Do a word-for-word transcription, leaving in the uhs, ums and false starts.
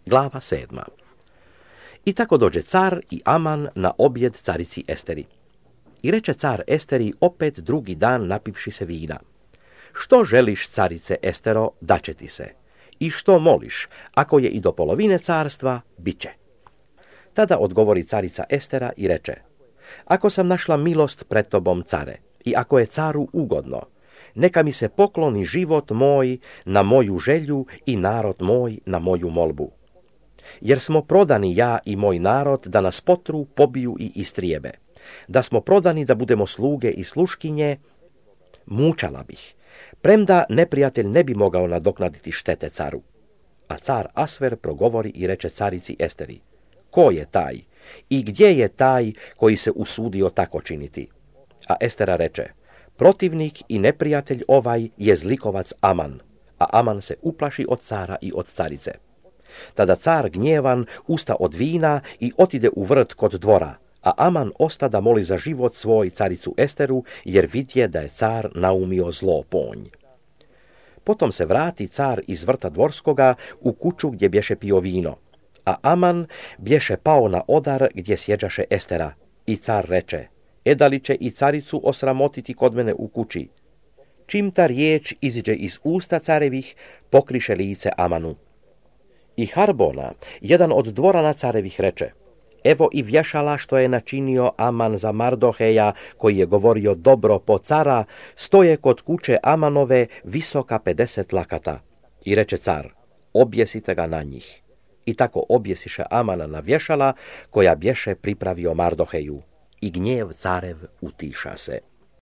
Glava sedma. I tako dođe car i Aman na objed carici Esteri. I reče car Esteri opet drugi dan napivši se vina: Što želiš, carice Estero, daće ti se. I što moliš, ako je i do polovine carstva, bit će. Tada odgovori carica Estera i reče: Ako sam našla milost pred tobom, care, i ako je caru ugodno, neka mi se pokloni život moj na moju želju i narod moj na moju molbu. Jer smo prodani ja i moj narod da nas potru, pobiju i istrijebe. Da smo prodani da budemo sluge i sluškinje, mučala bih, premda neprijatelj ne bi mogao nadoknaditi štete caru. A car Asver progovori i reče carici Esteri: Ko je taj i gdje je taj koji se usudio tako činiti? A Estera reče: Protivnik i neprijatelj ovaj je zlikovac Aman. A Aman se uplaši od cara i od carice. Tada car gnjevan usta od vina i otide u vrt kod dvora, a Aman osta da moli za život svoj caricu Esteru, jer vidje da je car naumio zlo ponj. Potom se vrati car iz vrta dvorskoga u kuću gdje bješe pio vino, a Aman bješe pao na odar gdje sjeđaše Estera. I car reče: Eda li će i caricu osramotiti kod mene u kući? Čim ta riječ iziđe iz usta carevih, pokriše lice Amanu. I Harbona, jedan od dvorana carevih, reče: Evo i vješala što je načinio Aman za Mardoheja, koji je govorio dobro po cara, stoje kod kuće Amanove visoka pedeset lakata. I reče car: Objesite ga na njih. I tako objesiše Amana na vješala koja bješe pripravio Mardoheju. I gnjev carev utiša se.